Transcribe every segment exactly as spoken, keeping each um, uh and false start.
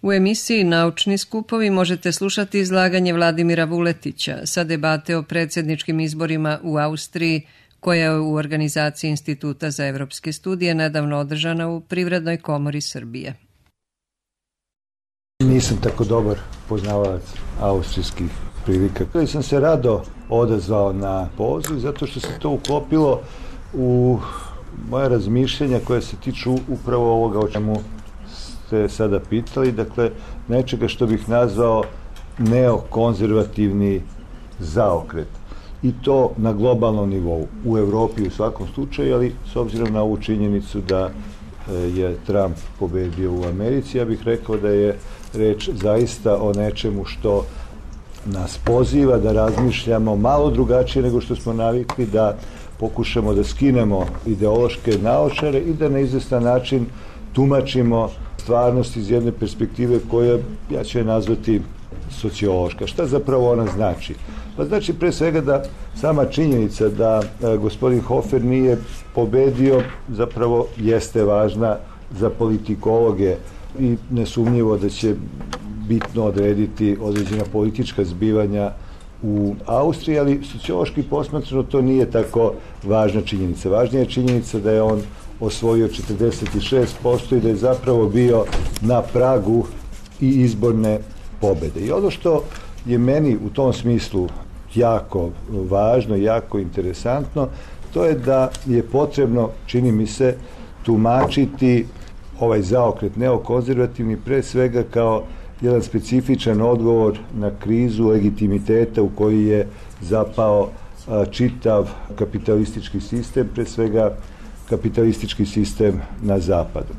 U emisiji Naučni skupovi možete slušati izlaganje Vladimira Vuletića sa debate o predsjedničkim izborima u Austriji, koja je u organizaciji Instituta za evropske studije nedavno održana u Privrednoj komori Srbije. Nisam tako dobar poznavalac austrijskih prilika. Kada sam se rado odazvao na poziv, zato što se to uklopilo u moje razmišljenja koje se tiču upravo ovoga o čemu ste sada pitali, dakle nečega što bih nazvao neokonzervativni zaokret. I to na globalnom nivou, u Evropi u svakom slučaju, ali s obzirom na ovu činjenicu da je Trump pobedio u Americi, ja bih rekao da je reč zaista o nečemu što nas poziva da razmišljamo malo drugačije nego što smo navikli, da pokušamo da skinemo ideološke naočare i da na izvestan način tumačimo stvarnost iz jedne perspektive koja, ja ću je nazvati sociološka. Šta zapravo ona znači? Pa znači pre svega da sama činjenica da e, gospodin Hofer nije pobedio zapravo jeste važna za politikologe i nesumnjivo da će bitno odrediti određena politička zbivanja u Austriji, ali sociološki posmatrano to nije tako važna činjenica. Važnija je činjenica da je on osvojio četrdeset šest posto i da je zapravo bio na pragu i izborne pobede. I ono što je meni u tom smislu jako važno, jako interesantno, to je da je potrebno, čini mi se, tumačiti ovaj zaokret neokonzervativni pre svega kao jedan specifičan odgovor na krizu legitimiteta u koji je zapao a, čitav kapitalistički sistem, pre svega kapitalistički sistem na zapadu.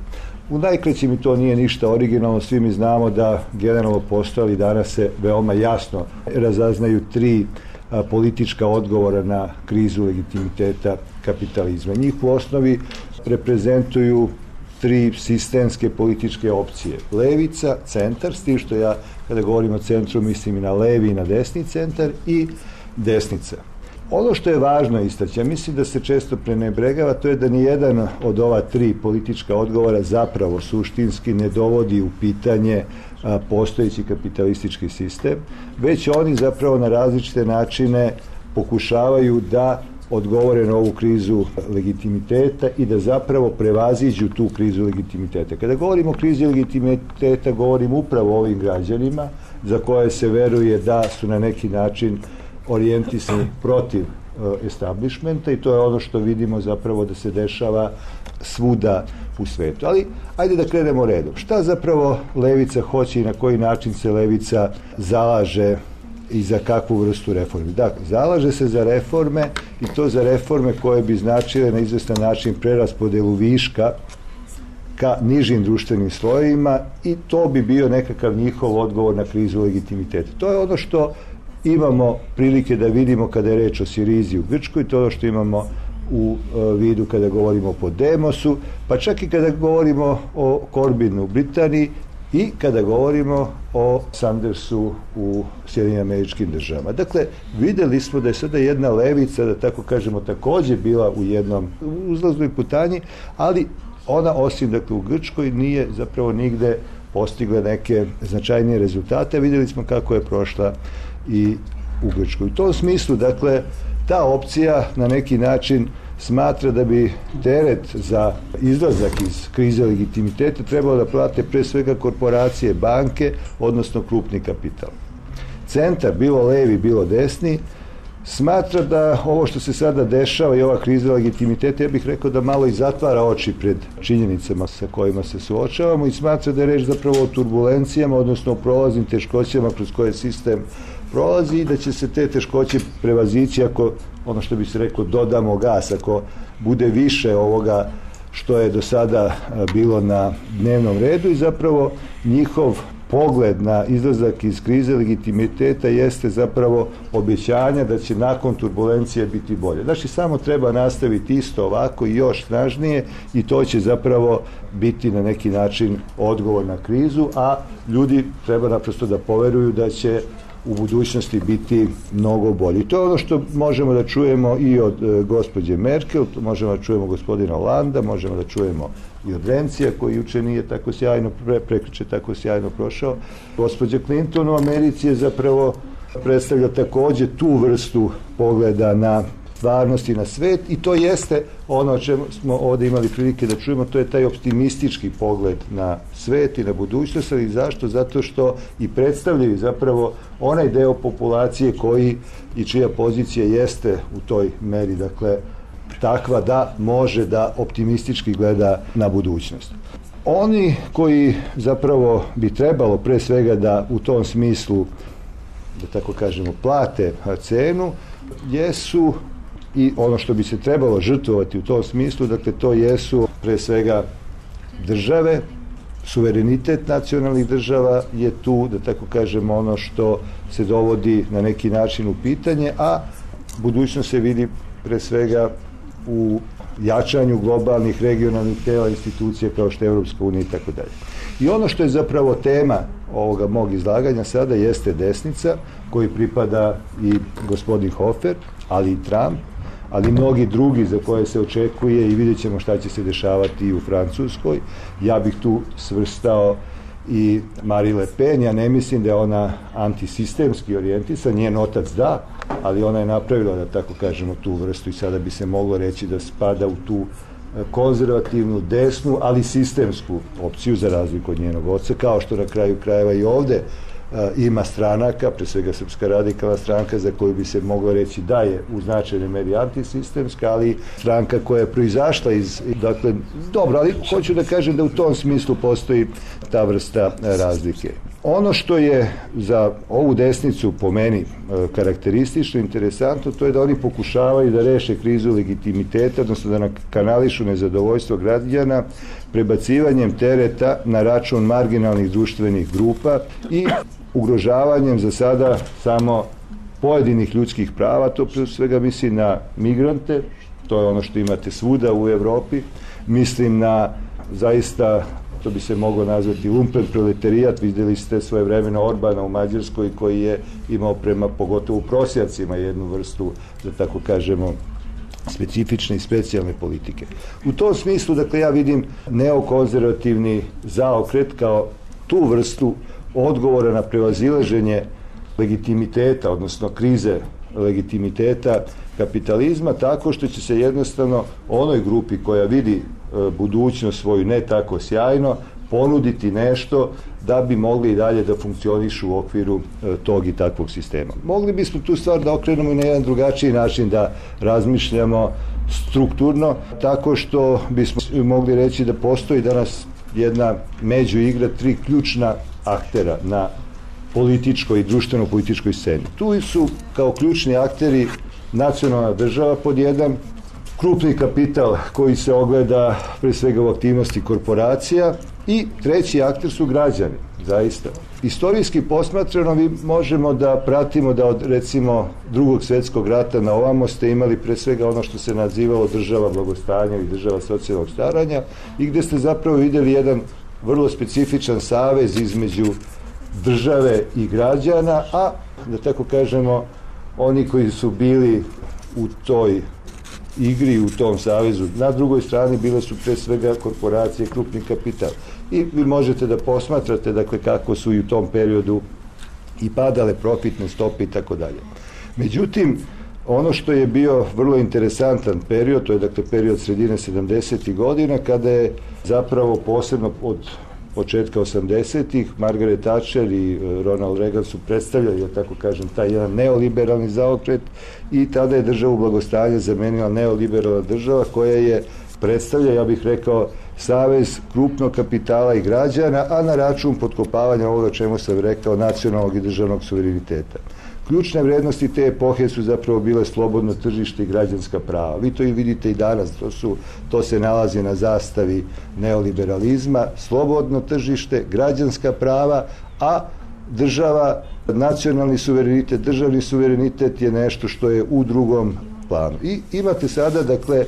U najkraćem, i to nije ništa originalno, svi mi znamo da generalno postoji, danas se veoma jasno razaznaju tri a, politička odgovora na krizu legitimiteta kapitalizma. Njih u osnovi reprezentuju tri sistemske političke opcije. Levica, centar, s tim što ja kada govorim o centru mislim i na levi i na desni centar, i desnica. Ono što je važno istaći, ja mislim da se često prenebregava, to je da nijedan od ova tri politička odgovora zapravo suštinski ne dovodi u pitanje a, postojeći kapitalistički sistem, već oni zapravo na različite načine pokušavaju da odgovore na ovu krizu legitimiteta i da zapravo prevaziđu tu krizu legitimiteta. Kada govorimo o krizi legitimiteta, govorim upravo o ovim građanima za koje se veruje da su na neki način orijentisani protiv uh, establishmenta, i to je ono što vidimo zapravo da se dešava svuda u svetu. Ali ajde da krenemo redom. Šta zapravo levica hoće i na koji način se levica zalaže i za kakvu vrstu reformi? Dakle, zalaže se za reforme, i to za reforme koje bi značile na izvestan način preraspodelu viška ka nižim društvenim slojevima, i to bi bio nekakav njihov odgovor na krizu legitimiteta. To je ono što imamo prilike da vidimo kada je reč o Sirizi u Grčkoj, to je ono što imamo u uh, vidu kada govorimo o Podemosu, pa čak i kada govorimo o Corbinu u Britaniji i kada govorimo o Sandersu u Sjedinjenim Američkim Državama. Dakle, videli smo da je sada jedna levica, da tako kažemo, takođe bila u jednom uzlaznoj putanji, ali ona, osim dakle u Grčkoj, nije zapravo nigde postigla neke značajnije rezultate. Videli smo kako je prošla i u Grčkoj. U tom smislu, dakle, ta opcija na neki način smatra da bi teret za izlazak iz krize legitimiteta trebalo da plate pre svega korporacije, banke, odnosno krupni kapital. Centar, bilo levi, bilo desni, smatra da ovo što se sada dešava i ova kriza legitimiteta, ja bih rekao da malo i zatvara oči pred činjenicama sa kojima se suočavamo, i smatra da je reč zapravo o turbulencijama, odnosno o prolaznim teškoćama kroz koje sistem prolazi, i da će se te teškoće prevazići ako, ono što bi se reklo, dodamo gas, ako bude više ovoga što je do sada bilo na dnevnom redu, i zapravo njihov pogled na izlazak iz krize legitimiteta jeste zapravo obećanja da će nakon turbulencije biti bolje. Znači, samo treba nastaviti isto ovako i još snažnije, i to će zapravo biti na neki način odgovor na krizu, a ljudi treba naprosto da poveruju da će u budućnosti biti mnogo bolji. To je ono što možemo da čujemo i od e, gospođe Merkel, možemo da čujemo gospodina Holanda, možemo da čujemo i od Rencija, koji juče nije tako sjajno, pre, prekriče tako sjajno prošao. Gospođa Clinton u Americi je zapravo predstavlja takođe tu vrstu pogleda na stvarnost i na svet, i to jeste ono o čemu smo ovde imali prilike da čujemo, to je taj optimistički pogled na svet i na budućnost. Ali zašto? Zato što i predstavljaju zapravo onaj deo populacije koji i čija pozicija jeste u toj meri, dakle, takva da može da optimistički gleda na budućnost. Oni koji zapravo bi trebalo pre svega da u tom smislu, da tako kažemo, plate cenu, jesu i ono što bi se trebalo žrtvovati u tom smislu, dakle to jesu pre svega države, suverenitet nacionalnih država je tu, da tako kažemo, ono što se dovodi na neki način u pitanje, a budućnost se vidi pre svega u jačanju globalnih, regionalnih tela, institucija kao što je Evropska unija i tako dalje. I ono što je zapravo tema ovoga mog izlaganja sada jeste desnica, koji pripada i gospodin Hofer, ali i Trump, ali i mnogi drugi za koje se očekuje, i vidjet ćemo šta će se dešavati i u Francuskoj. Ja bih tu svrstao i Marie Le Pen. Ja ne mislim da je ona antisistemski orijentisan, njen otac da, ali ona je napravila, da tako kažemo, tu vrstu, i sada bi se moglo reći da spada u tu konzervativnu, desnu, ali sistemsku opciju, za razliku od njenog oca, kao što na kraju krajeva i ovde ima stranaka, pre svega Srpska radikalna stranka, za koju bi se moglo reći da je u značajnoj meri antisistemska, ali stranka koja je proizašla iz, dakle, dobro, ali hoću da kažem da u tom smislu postoji ta vrsta razlike. Ono što je za ovu desnicu po meni karakteristično, interesantno, to je da oni pokušavaju da reše krizu legitimiteta, odnosno da kanališu nezadovoljstvo građana prebacivanjem tereta na račun marginalnih društvenih grupa i ugrožavanjem za sada samo pojedinih ljudskih prava. To pre svega mislim na migrante, to je ono što imate svuda u Evropi, mislim na zaista, to bi se moglo nazvati lumpen proletarijat. Videli ste svoje vremena Orbana u Mađarskoj, koji je imao prema pogotovo prosjacima jednu vrstu, da tako kažemo, specifične i specijalne politike. U tom smislu, dakle, ja vidim neokonzervativni zaokret kao tu vrstu odgovora na prevazilaženje legitimiteta, odnosno krize legitimiteta kapitalizma, tako što će se jednostavno onoj grupi koja vidi budućnost svoju ne tako sjajno ponuditi nešto da bi mogli i dalje da funkcionišu u okviru tog i takvog sistema. Mogli bismo tu stvar da okrenemo i na jedan drugačiji način, da razmišljamo strukturno, tako što bismo mogli reći da postoji danas jedna međuigra, tri ključna aktera na političkoj i društveno-političkoj sceni. Tu su kao ključni akteri nacionalna država pod jedan, krupni kapital koji se ogleda pre svega u aktivnosti korporacija, i treći akter su građani, zaista. Istorijski posmatrano mi možemo da pratimo da od, recimo, drugog svjetskog rata na ovamo ste imali pre svega ono što se nazivalo država blagostanja i država socijalnog staranja, i gde ste zapravo videli jedan vrlo specifičan savez između države i građana, a, da tako kažemo, oni koji su bili u toj igri, u tom savezu, na drugoj strani bile su pre svega korporacije, krupni kapital. I vi možete da posmatrate, dakle, kako su i u tom periodu i padale profitne stope i tako dalje. Međutim, ono što je bio vrlo interesantan period, to je, dakle, period sredine sedamdesetih godina, kada je zapravo posebno od početka osamdesetih Margaret Thatcher i Ronald Reagan su predstavljali, ja tako kažem, taj jedan neoliberalni zaokret, i tada je državu blagostanja zamenila neoliberalna država koja je predstavlja, ja bih rekao, savez krupnog kapitala i građana, a na račun potkopavanja ovoga čemu sam rekao, nacionalnog i državnog suvereniteta. Ključne vrednosti te epohe su zapravo bile slobodno tržište i građanska prava. Vi to i vidite i danas, to, su, to se nalazi na zastavi neoliberalizma, slobodno tržište, građanska prava, a država, nacionalni suverenitet, državni suverenitet je nešto što je u drugom planu. I imate sada, dakle,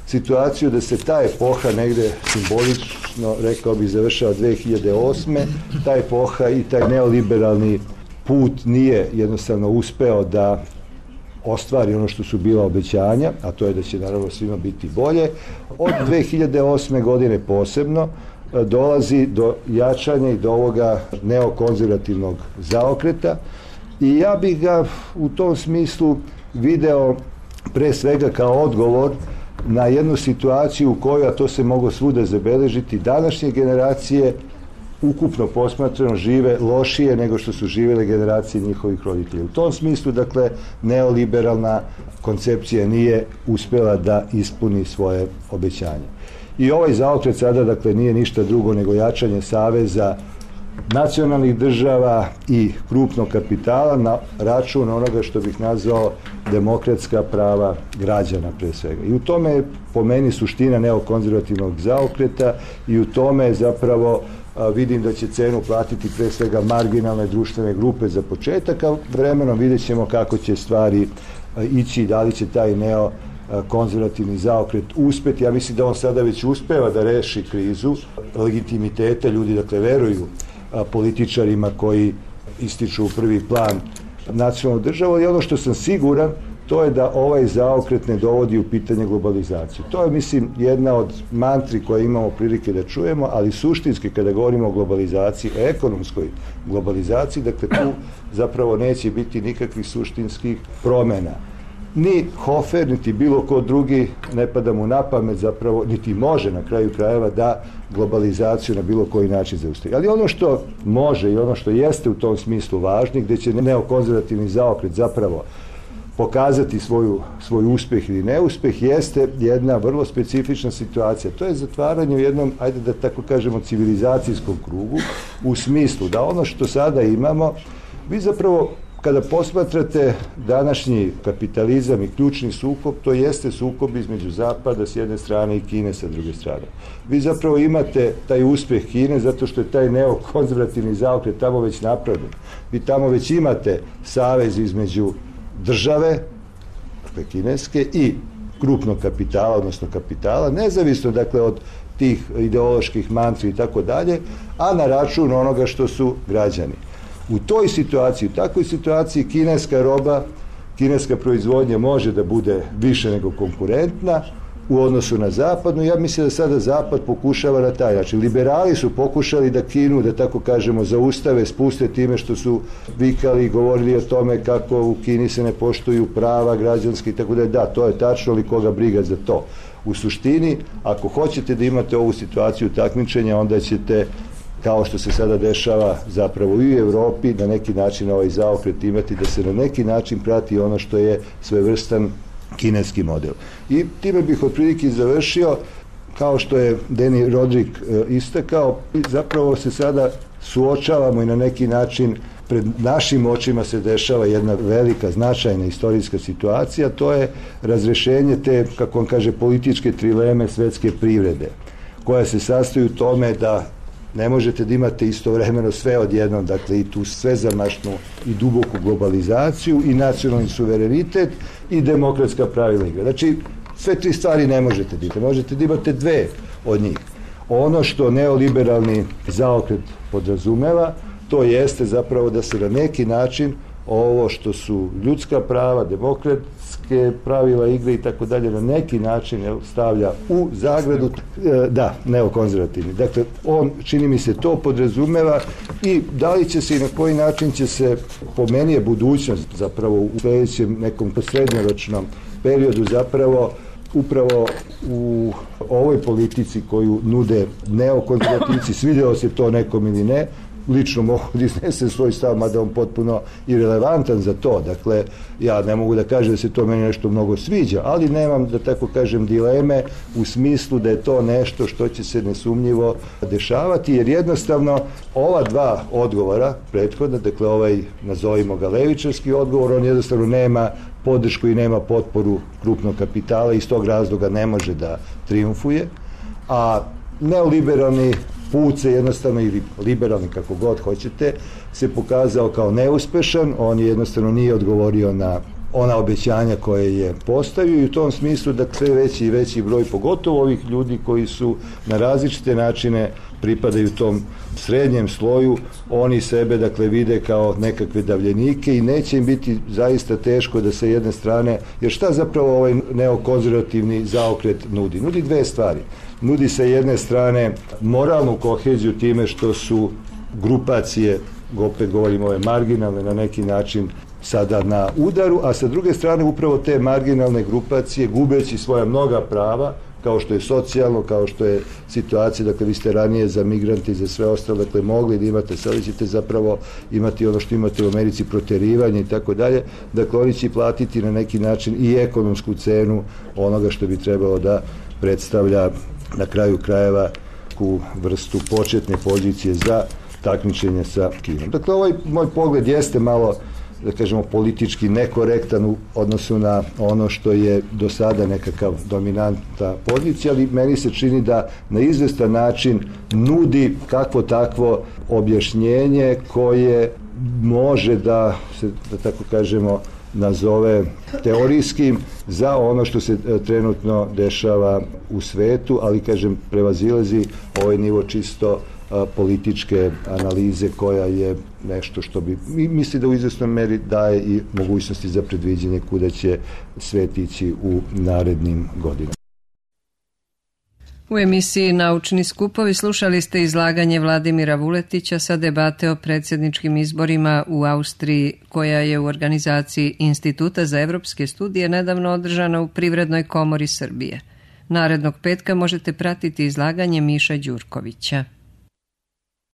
situaciju da se ta epoha negde simbolično, rekao bih, završava dve hiljade osme. Ta epoha i taj neoliberalni put nije jednostavno uspeo da ostvari ono što su bila obećanja, a to je da će naravno svima biti bolje. Od dve hiljade osme godine posebno dolazi do jačanja i do ovoga neokonzervativnog zaokreta i ja bih ga u tom smislu video pre svega kao odgovor na jednu situaciju u kojoj, a to se moglo svuda zabeležiti, današnje generacije ukupno posmatrano žive lošije nego što su živjele generacije njihovih roditelja. U tom smislu, dakle, neoliberalna koncepcija nije uspjela da ispuni svoje obećanje. I ovaj zaokret sada, dakle, nije ništa drugo nego jačanje saveza nacionalnih država i krupnog kapitala na račun onoga što bih nazvao demokratska prava građana pre svega. I u tome je po meni suština neokonzervativnog zaokreta i u tome zapravo a, vidim da će cenu platiti pre svega marginalne društvene grupe za početak, a vremenom vidjet ćemo kako će stvari a, ići i da li će taj neo konzervativni zaokret uspeti. Ja mislim da on sada već uspeva da reši krizu legitimiteta. Ljudi, dakle, veruju a, političarima koji ističu u prvi plan nacionalnu državu i ono što sam siguran to je da ovaj zaokret ne dovodi u pitanje globalizaciju. To je, mislim, jedna od mantri koje imamo prilike da čujemo, ali suštinski kada govorimo o globalizaciji, o ekonomskoj globalizaciji, dakle tu zapravo neće biti nikakvih suštinskih promjena. Ni Hofer, niti bilo ko drugi ne pada mu na pamet zapravo, niti može na kraju krajeva da globalizaciju na bilo koji način zaustavi. Ali ono što može i ono što jeste u tom smislu važno, gdje će neokonzervativni zaokret zapravo pokazati svoju, svoj uspjeh ili neuspjeh, jeste jedna vrlo specifična situacija. To je zatvaranje u jednom, ajde da tako kažemo, civilizacijskom krugu, u smislu da ono što sada imamo, vi zapravo kada posmatrate današnji kapitalizam i ključni sukob, to jeste sukob između Zapada s jedne strane i Kine sa druge strane. Vi zapravo imate taj uspjeh Kine zato što je taj neokonzervativni zaokret tamo već napravljen. Vi tamo već imate savez između države, dakle kineske, i krupnog kapitala, odnosno kapitala, nezavisno dakle od tih ideoloških mantri i tako dalje, a na račun onoga što su građani. U toj situaciji, u takvoj situaciji kineska roba, kineska proizvodnja može da bude više nego konkurentna u odnosu na zapadnu. Ja mislim da sada zapad pokušava na taj način. Liberali su pokušali da Kinu, da tako kažemo, zaustave, spuste time što su vikali i govorili o tome kako u Kini se ne poštuju prava građanske i tako da. Da, to je tačno, ali koga briga za to. U suštini, ako hoćete da imate ovu situaciju takmičenja, onda ćete, kao što se sada dešava zapravo i u Evropi, na neki način ovaj zaokret imati, da se na neki način prati ono što je svevrstan kineski model. I time bih otprilike završio, kao što je Deni Rodrik e, istakao, zapravo se sada suočavamo i na neki način pred našim očima se dešava jedna velika, značajna istorijska situacija, to je razrešenje te, kako on kaže, političke trileme svetske privrede, koja se sastoji u tome da ne možete da imate istovremeno sve odjednom, dakle i tu svezamašnu i duboku globalizaciju i nacionalni suverenitet i demokratska pravila igre. Znači, sve tri stvari ne možete da imate. Možete da imate dve od njih. Ono što neoliberalni zaokret podrazumeva, to jeste zapravo da se na neki način ovo što su ljudska prava, demokratske pravila igre i tako dalje, na neki način stavlja u zagradu, da, neokonzervativni. Dakle, on, čini mi se, to podrazumeva i da li će se i na koji način će se, po meni je budućnost zapravo u sljedećem nekom srednjoročnom periodu zapravo upravo u ovoj politici koju nude neokonzervativci, svidjelo se to nekom ili ne, lično mogu da iznesem svoj stav, mada on potpuno irelevantan za to. Dakle, ja ne mogu da kažem da se to meni nešto mnogo sviđa, ali nemam, da tako kažem, dileme u smislu da je to nešto što će se nesumnjivo dešavati, jer jednostavno ova dva odgovora prethodna, dakle ovaj, nazovimo ga levičarski odgovor, on jednostavno nema podršku i nema potporu krupnog kapitala i iz tog razloga ne može da triumfuje, a neoliberalni put se jednostavno, ili liberalni kako god hoćete, se pokazao kao neuspešan. On je jednostavno nije odgovorio na ona obećanja koje je postavio i u tom smislu da sve veći i veći broj, pogotovo ovih ljudi koji su na različite načine pripadaju tom srednjem sloju, oni sebe dakle vide kao nekakve davljenike i neće im biti zaista teško da sa jedne strane, jer šta zapravo ovaj neokonzervativni zaokret nudi? Nudi dve stvari. Nudi sa jedne strane moralnu koheziju time što su grupacije, opet govorimo ove marginalne, na neki način sada na udaru, a sa druge strane upravo te marginalne grupacije gubeći svoja mnoga prava, kao što je socijalno, kao što je situacija, dakle vi ste ranije za migrante i za sve ostalo, dakle mogli da imate, sada ćete zapravo imati ono što imate u Americi, proterivanje i tako dalje, dakle oni će platiti na neki način i ekonomsku cenu onoga što bi trebalo da predstavlja na kraju krajeva u vrstu početne pozicije za takmičenje sa Kinom. Dakle, ovaj moj pogled jeste malo, da kažemo, politički nekorektan u odnosu na ono što je do sada nekakav dominantna pozicija, ali meni se čini da na izvestan način nudi kakvo takvo objašnjenje koje može da se, da tako kažemo, nazove teorijskim za ono što se trenutno dešava u svetu, ali kažem prevazilazi ovaj nivo čisto a, političke analize koja je nešto što bi, misli da u izvesnoj meri daje i mogućnosti za predviđanje kuda će svet ići u narednim godinama. U emisiji Naučni skupovi slušali ste izlaganje Vladimira Vuletića sa debate o predsjedničkim izborima u Austriji, koja je u organizaciji Instituta za evropske studije nedavno održana u Privrednoj komori Srbije. Narednog petka možete pratiti izlaganje Miša Đurkovića.